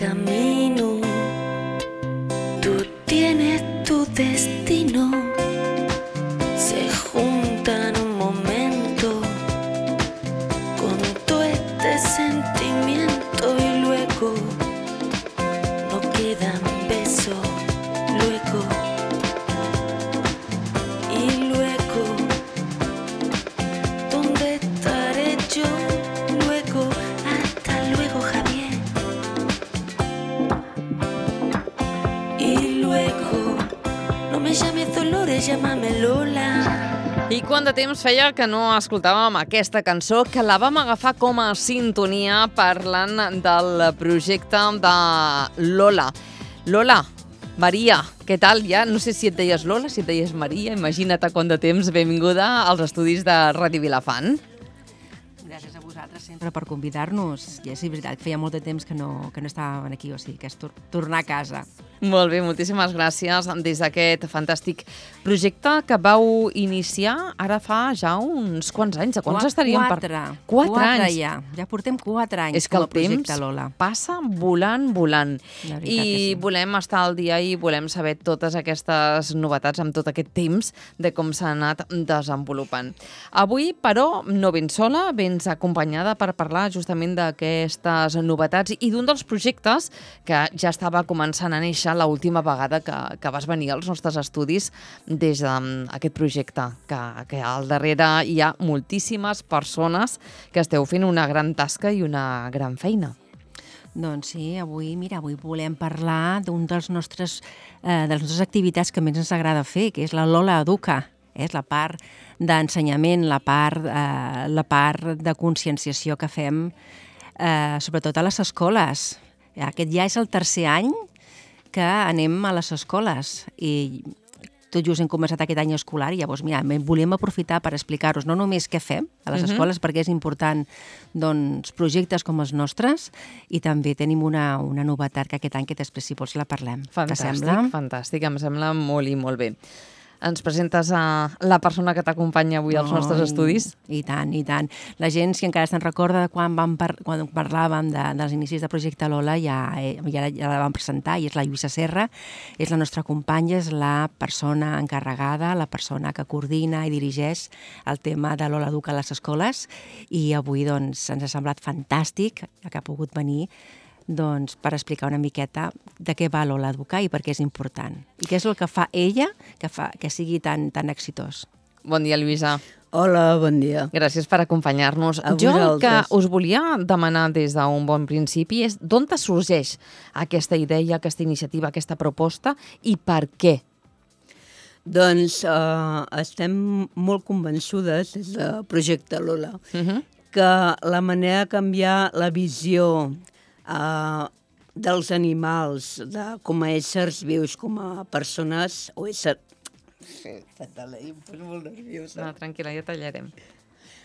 camino, tú tienes tu destino, se junta en un momento con todo este sentimiento y luego no quedan besos, luego y luego, ¿dónde estaré yo? Luego, hasta luego, Javier. Y luego, no me llames Dolores, llámame Lola. I quant de temps feia que no escoltàvem aquesta cançó, que la vam agafar com a sintonia parlant del projecte de Lola. Lola, Maria, què tal? Ja no sé si et deies Lola, si et deies Maria, imagina't a quant de temps. Benvinguda als estudis de Ràdio Vilafant. Gràcies a vosaltres sempre per convidar-nos. I és veritat, feia molt de temps que no estàvem aquí, o sigui que és tornar a casa. Molt bé, moltíssimes gràcies des d'aquest fantàstic projecte que vau iniciar ara fa ja uns quants anys. De quants estaríem? 4 anys. Ja portem 4 anys és que com el a projecte temps Lola. passa volant. La veritat I que sí. volem estar al dia i volem saber totes aquestes novetats amb tot aquest temps de com s'ha anat desenvolupant. Avui, però, no vens sola, vens acompanyada per parlar justament d'aquestes novetats i d'un dels projectes que ja estava començant a néixer l'última vegada que vas venir als nostres estudis des d'aquest projecte, que al darrere hi ha moltíssimes persones que esteu fent una gran tasca i una gran feina. Doncs sí, avui volem parlar d'un de les nostres activitats que més ens agrada fer, que és la Lola Educa. És la part d'ensenyament, la part de conscienciació que fem, sobretot a les escoles. Aquest ja és el 3è any que anem a les escoles i tot just hem començat aquest any escolar i llavors, volíem aprofitar per explicar-vos no només què fem a les escoles, perquè és important projectes com els nostres, i també tenim una novetat que aquest any, que després, si vols, la parlem. Fantàstic, em sembla molt i molt bé. Ens presentes a la persona que t'acompanya avui als nostres estudis? I tant. La gent, si encara se'n recorda de quan parlàvem dels inicis del projecte Lola, ja la vam presentar, i és la Lluïsa Serra, és la nostra companya, és la persona encarregada, la persona que coordina i dirigeix el tema de Lola Educa a les escoles, i avui ens ha semblat fantàstic que ha pogut venir per explicar una miqueta de què va Lola Educar i per què és important. I què és el que fa ella que sigui tan exitós. Bon dia, Lluïsa. Hola, bon dia. Gràcies per acompanyar-nos. Jo el que us volia demanar des d'un bon principi és d'on te sorgeix aquesta idea, aquesta iniciativa, aquesta proposta i per què? Doncs estem molt convençudes des del projecte Lola que la manera de canviar la visió dels animals, com a éssers vius, com a persones o éssers... Sí, fatal, em poso molt nerviosa. No, tranquil·la, ja tallarem.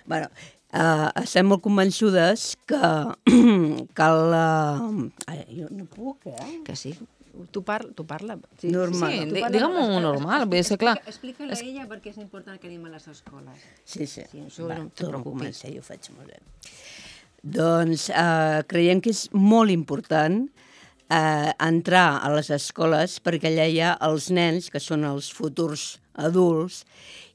Bueno, estem molt convençudes que cal... Jo no puc, Que sí. Tu parla. Sí. Normal. Sí, digue'm-ho normal. Explica-la a ella perquè és important que anem a les escoles. Sí. No et preocupis. Jo ho faig molt bé. Doncs creiem que és molt important entrar a les escoles perquè allà hi ha els nens, que són els futurs adults,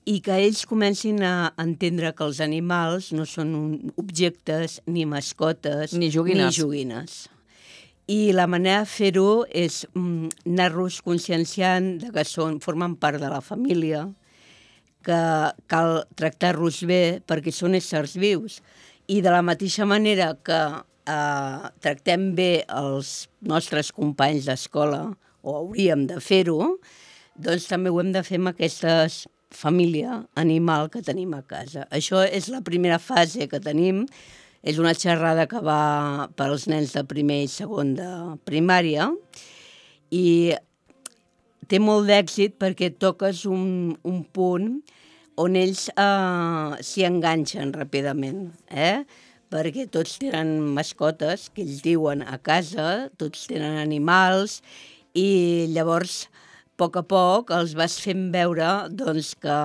i que ells comencin a entendre que els animals no són objectes, ni mascotes, ni joguines. I la manera de fer-ho és anar-los conscienciant que formen part de la família, que cal tractar-los bé perquè són éssers vius. I de la mateixa manera que tractem bé els nostres companys d'escola, o hauríem de fer-ho, doncs també ho hem de fer amb aquesta família animal que tenim a casa. Això és la primera fase que tenim. És una xerrada que va per als nens de primer i segon de primària i té molt d'èxit perquè toques un punt on ells s'hi enganxen ràpidament, perquè tots tenen mascotes, que ells diuen a casa, tots tenen animals, i llavors, a poc els vas fent veure doncs, que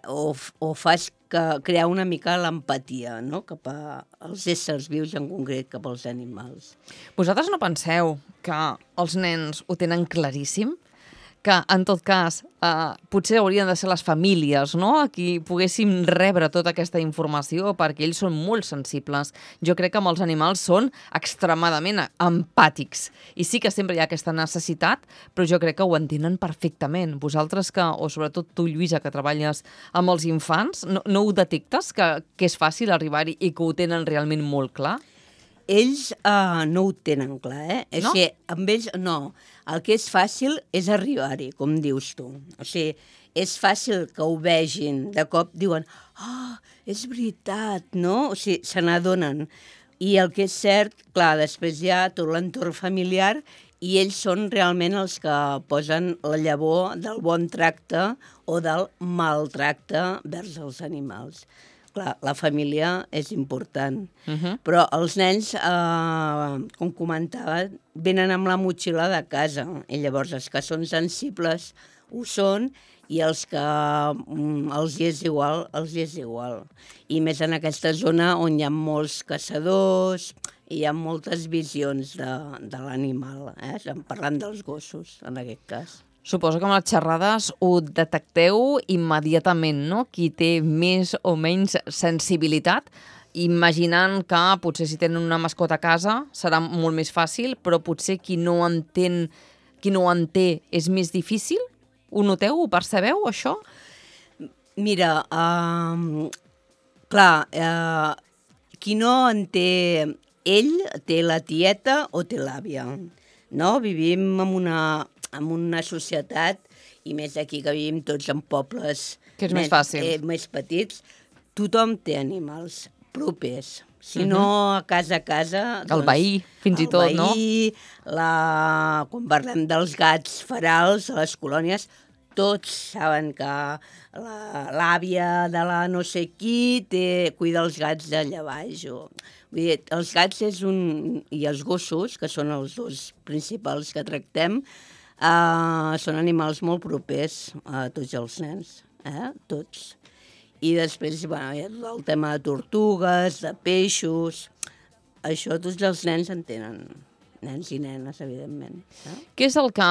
o fas crear una mica l'empatia, no?, cap als éssers vius, en concret cap als animals. Vosaltres no penseu que els nens ho tenen claríssim? Que, en tot cas, potser haurien de ser les famílies, no?, a qui poguéssim rebre tota aquesta informació, perquè ells són molt sensibles. Jo crec que amb els animals són extremadament empàtics. I sí que sempre hi ha aquesta necessitat, però jo crec que ho entenen perfectament. Vosaltres o sobretot tu, Lluïsa, que treballes amb els infants, no ho detectes, que és fàcil arribar-hi i que ho tenen realment molt clar? Ells no ho tenen clar, No? O sigui, amb ells no. El que és fàcil és arribar-hi, com dius tu. O sigui, és fàcil que ho vegin. De cop diuen, és veritat, no? O sigui, se n'adonen. I el que és cert, clar, després hi ha tot l'entorn familiar i ells són realment els que posen la llavor del bon tracte o del maltracte vers els animals. Clar, la família és important, però els nens, com comentava, venen amb la motxilla de casa, i llavors els que són sensibles ho són, i els que els hi és igual, els hi és igual. I més en aquesta zona on hi ha molts caçadors, i hi ha moltes visions de l'animal, parlant dels gossos, en aquest cas. Suposo que amb les xerrades ho detecteu immediatament, no? Qui té més o menys sensibilitat, imaginant que potser si tenen una mascota a casa serà molt més fàcil, però potser qui no en té és més difícil? Ho noteu? Ho percebeu, això? Mira, clar, qui no en té ell, té la tieta o té l'àvia, no? Vivim en una societat, i més aquí que vivim tots en pobles que és més fàcil. Més petits, tothom té animals propers. Si no a casa, doncs, el veí, fins i tot, no? El veí, quan parlem dels gats ferals a les colònies, tots saben que l'àvia de la no sé qui cuida els gats d'allà baix. Vull dir, els gats i els gossos, que són els dos principals que tractem, són animals molt propers a tots els nens, tots. I després, hi ha el tema de tortugues, de peixos, això tots els nens en tenen, nens i nenes, evidentment. Què és el que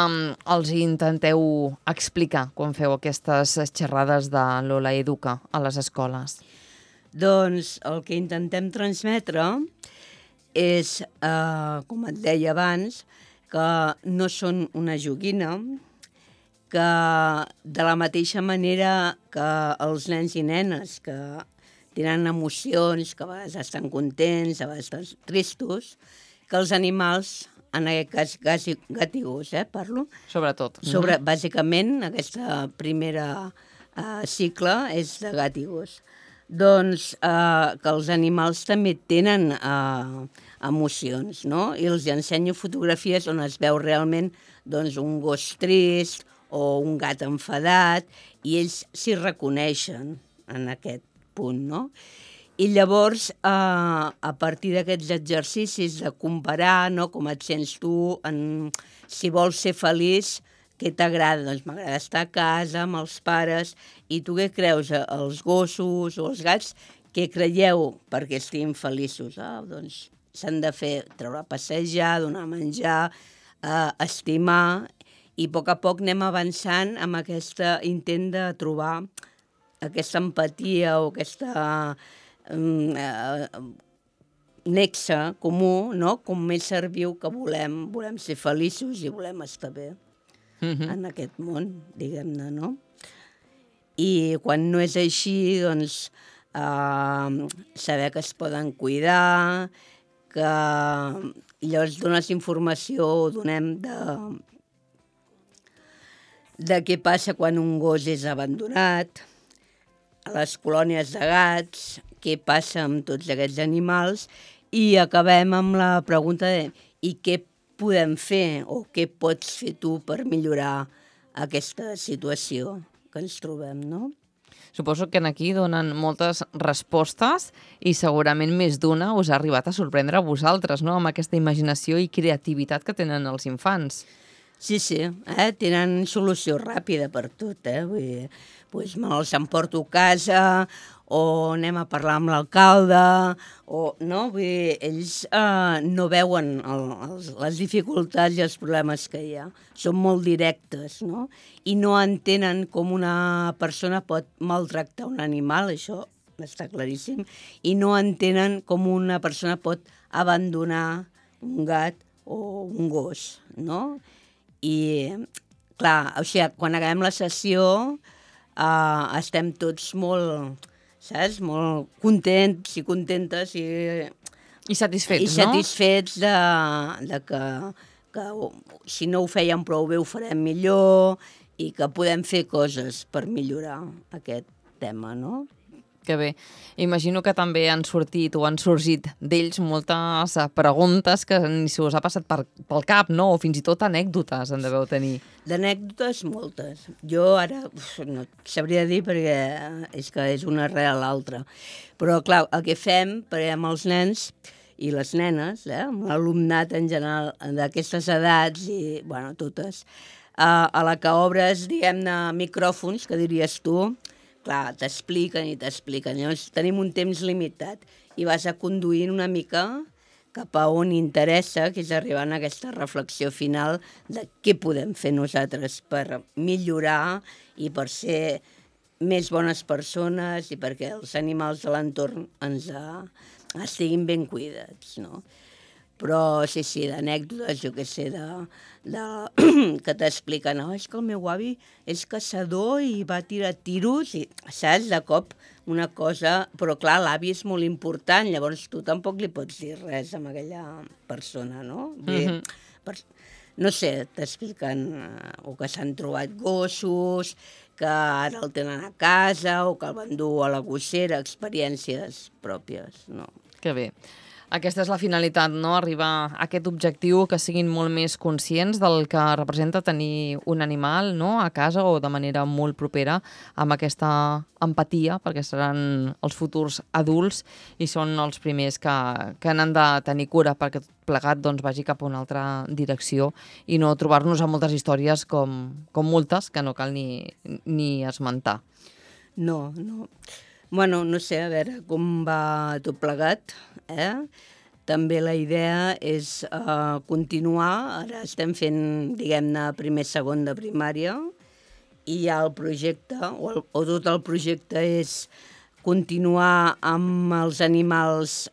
els intenteu explicar quan feu aquestes xerrades de Lola Educa a les escoles? Doncs el que intentem transmetre és, com et deia abans, que no són una joguina, que de la mateixa manera que els nens i nenes que tenen emocions, que a vegades estan contents, a vegades estan tristos, que els animals, en aquest cas gat i gos, parlo. Sobretot. Bàsicament, aquesta primera cicle és de gat i gos. Doncs que els animals també tenen emocions, no? I els ensenyo fotografies on es veu realment doncs, un gos trist o un gat enfadat, i ells s'hi reconeixen en aquest punt, no? I llavors, a partir d'aquests exercicis de comparar, no, com et sents tu, si vols ser feliç, què t'agrada? Doncs m'agrada estar a casa amb els pares. I tu què creus? Els gossos o els gats, què creieu perquè estiguin feliços? Doncs s'han de fer, treure a passejar, donar a menjar, estimar, i a poc anem avançant amb aquest intent de trobar aquesta empatia o aquesta nexe comú, no? Com ésser viu que volem ser feliços i volem estar bé en aquest món, diguem-ne, no? I quan no és així, doncs, saber que es poden cuidar, que llavors dones informació o donem de què passa quan un gos és abandonat, a les colònies de gats, què passa amb tots aquests animals, i acabem amb la pregunta de i què podem fer o què pots fer tu per millorar aquesta situació que ens trobem, no? Suposo que aquí donen moltes respostes i segurament més d'una us ha arribat a sorprendre a vosaltres, no?, amb aquesta imaginació i creativitat que tenen els infants. Sí, tenen solució ràpida per tot, Vull dir, doncs me'ls emporto a casa o anem a parlar amb l'alcalde, no? Vull dir, ells no veuen les dificultats i els problemes que hi ha. Són molt directes, no? I no entenen com una persona pot maltractar un animal, això està claríssim, i no entenen com una persona pot abandonar un gat o un gos, no? I, clar, o sigui, quan acabem la sessió estem tots molt, saps? Molt contents i contentes I satisfets, i satisfets de que si no ho fèiem prou bé ho farem millor i que podem fer coses per millorar aquest tema, no? Que bé. Imagino que també han sortit o han sorgit d'ells moltes preguntes que ni se us ha passat pel cap, no? O fins i tot anècdotes en deveu tenir. D'anècdotes, moltes. Jo ara no sabria dir perquè és que és una rere l'altra. Però, clar, el que fem amb els nens i les nenes, amb l'alumnat en general d'aquestes edats i, bueno, totes, a la que obres, diguem-ne, micròfons, que diries tu, clar, t'expliquen i t'expliquen. Llavors tenim un temps limitat i vas a conduir una mica cap a on interessa, que és arribar a aquesta reflexió final de què podem fer nosaltres per millorar i per ser més bones persones i perquè els animals de l'entorn estiguin ben cuidats, no? Però sí, d'anècdotes, jo què sé, que t'expliquen, és que el meu avi és caçador i va tirar tiros, i saps, de cop una cosa... Però clar, l'avi és molt important, llavors tu tampoc li pots dir res a aquella persona, no? No sé, t'expliquen o que s'han trobat gossos, que ara el tenen a casa o que el van dur a la gossera, experiències pròpies, no? Que bé. Aquesta és la finalitat, no? Arribar a aquest objectiu, que siguin molt més conscients del que representa tenir un animal, no? A casa o de manera molt propera, amb aquesta empatia, perquè seran els futurs adults i són els primers que n'han de tenir cura perquè tot plegat doncs, vagi cap a una altra direcció i no trobar-nos amb moltes històries com moltes que no cal ni esmentar. No. Bueno, no sé, a veure com va tot plegat, També la idea és continuar, ara estem fent, diguem-ne, primer-segon de primària, i ja el projecte, o tot el projecte és continuar amb els animals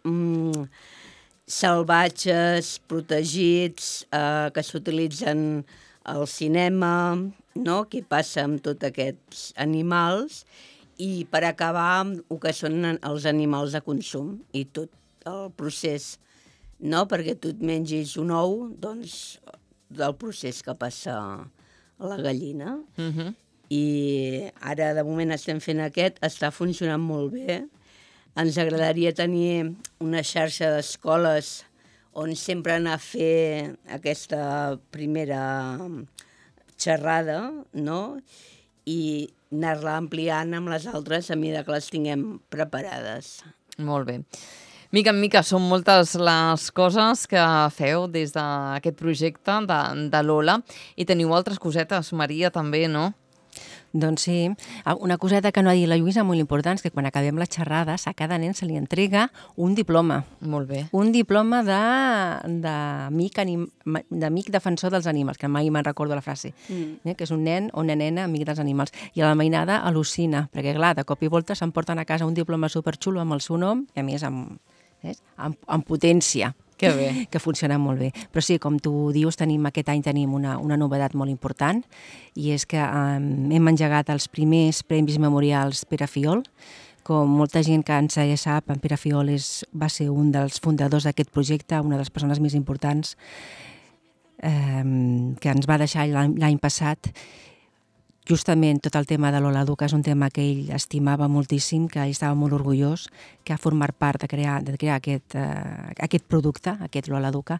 salvatges, protegits, que s'utilitzen al cinema, no? Què passa amb tots aquests animals, i per acabar amb el que són els animals de consum i tot el procés, no? Perquè tu et mengis un ou, doncs, del procés que passa a la gallina. I ara, de moment, estem fent aquest, està funcionant molt bé. Ens agradaria tenir una xarxa d'escoles on sempre anar a fer aquesta primera xerrada, no? I anar-la ampliant amb les altres a mesura que les tinguem preparades. Molt bé. Mica en mica són moltes les coses que feu des d'aquest projecte de Lola i teniu altres cosetes, Maria, també, no? Doncs sí. Una coseta que no ha dit la Lluïsa molt important és que quan acabem la xerrada a cada nen se li entrega un diploma. Molt bé. Un diploma d'amic defensor dels animals, que mai me'n recordo la frase, que és un nen o una nena amic dels animals. I a la mainada al·lucina, perquè clar, de cop i volta s'emporten a casa un diploma superxulo amb el seu nom i a més amb potència. Que bé. Que funciona molt bé. Però sí, com tu dius, aquest any tenim una novetat molt important i és que hem engegat els primers Premis Memorials Pere Fiol. Com molta gent que ens ja sap, en Pere Fiol va ser un dels fundadors d'aquest projecte, una de les persones més importants que ens va deixar l'any passat. Justament tot el tema de Lola Educa és un tema que ell estimava moltíssim, que ell estava molt orgullós, que ha format part de crear aquest producte, aquest Lola Educa,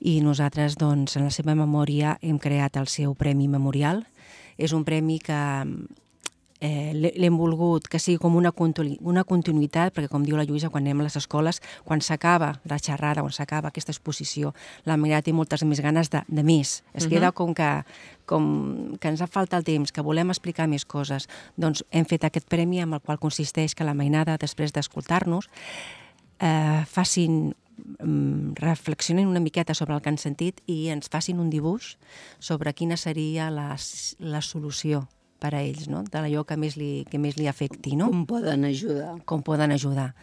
i nosaltres, doncs, en la seva memòria hem creat el seu Premi Memorial. És un premi que l'hem volgut que sigui com una continuïtat, perquè com diu la Lluïsa, quan anem a les escoles, quan s'acaba la xerrada, quan s'acaba aquesta exposició, la Maria té moltes més ganes de més. Es queda com que ens ha faltat el temps, que volem explicar més coses. Doncs hem fet aquest premi amb el qual consisteix que la mainada, després d'escoltar-nos, reflexionin una miqueta sobre el que han sentit i ens facin un dibuix sobre quina seria la solució per a ells, no? D'allò que més li afecti, no? Com poden ajudar. Com poden ajudar.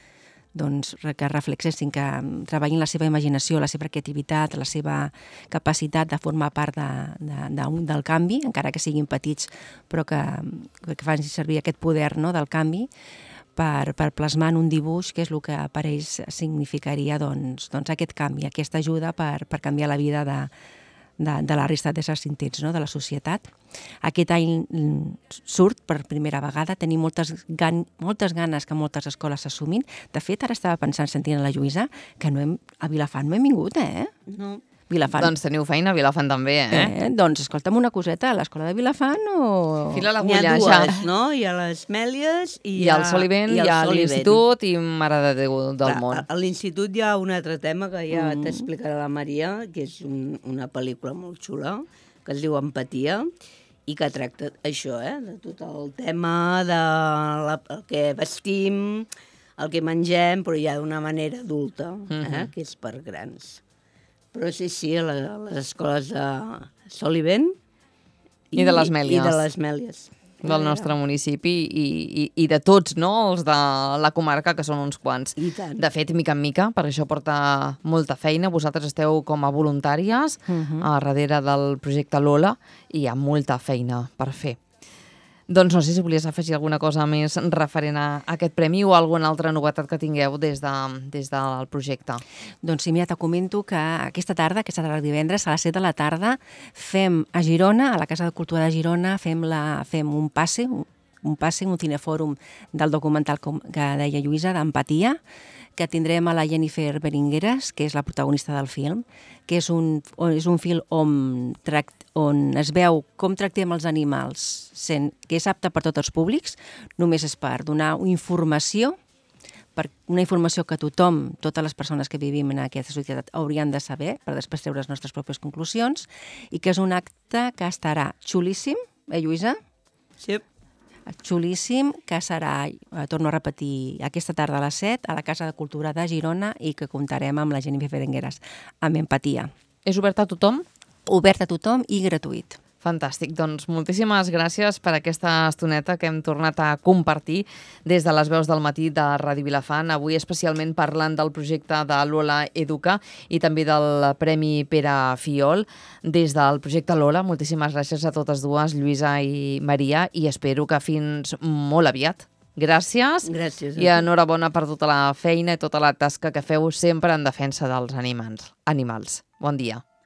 Doncs que reflexessin, que treballin la seva imaginació, la seva creativitat, la seva capacitat de formar part del canvi, encara que siguin petits, però que facin servir aquest poder, no?, del canvi, per plasmar en un dibuix que és el que per ells significaria doncs aquest canvi, aquesta ajuda per canviar la vida de la resta d'éssers sentits, no?, de la societat. Aquest any surt per primera vegada, tenim moltes ganes que moltes escoles s'assumin. De fet, ara estava pensant, sentint a la Lluïsa, que a Vilafant no hem vingut, No. Vilafant. Doncs teniu feina a Vilafant també, Doncs escolta'm una coseta, a l'escola de Vilafant o... Fila N'hi l'agulla, ha ja. dues, no? Hi ha les Mèlies i Hi ha el Solivent, hi ha l'Institut i Mare de Déu del Món. A l'Institut hi ha un altre tema que ja t'explicarà la Maria, que és una pel·lícula molt xula, que es diu Empatia, i que tracta això, de tot el tema el que vestim, el que mengem, però ja d'una manera adulta, que és per grans. Però sí, a les escoles de Solivent I de les Mèlies. I de les Mèlies. Del nostre municipi i de tots, no?, els de la comarca, que són uns quants. I tant. De fet, mica en mica, perquè això porta molta feina. Vosaltres esteu com a voluntàries a darrere del projecte Lola i hi ha molta feina per fer. Doncs no sé si volies afegir alguna cosa més referent a aquest premi o alguna altra novetat que tingueu des del projecte. Doncs sí, mira, te comento que aquesta tarda divendres, a les 7 de la tarda, fem a Girona, a la Casa de Cultura de Girona, fem un passe, un cinefòrum del documental que deia Lluïsa, d'Empatia, que tindrem a la Jennifer Beringueras, que és la protagonista del film, que és un film on es veu com tractem els animals, que és apte per tots els públics, només és per donar informació, una informació que totes les persones que vivim en aquesta societat haurien de saber, per després treure les nostres pròpies conclusions, i que és un acte que estarà xulíssim, Lluïsa? Sí. Xulíssim, que serà, torno a repetir, aquesta tarda a les 7 a la Casa de Cultura de Girona i que comptarem amb la Jennifer Berengueras, amb Empatia. És obert a tothom? Obert a tothom i gratuït. Fantàstic. Doncs moltíssimes gràcies per aquesta estoneta que hem tornat a compartir des de les veus del matí de Ràdio Vilafant, avui especialment parlant del projecte de Lola Educa i també del Premi Pere Fiol. Des del projecte Lola, moltíssimes gràcies a totes dues, Lluïsa i Maria, i espero que fins molt aviat. Gràcies. Gràcies. I enhorabona per tota la feina i tota la tasca que feu sempre en defensa dels animals. Bon dia.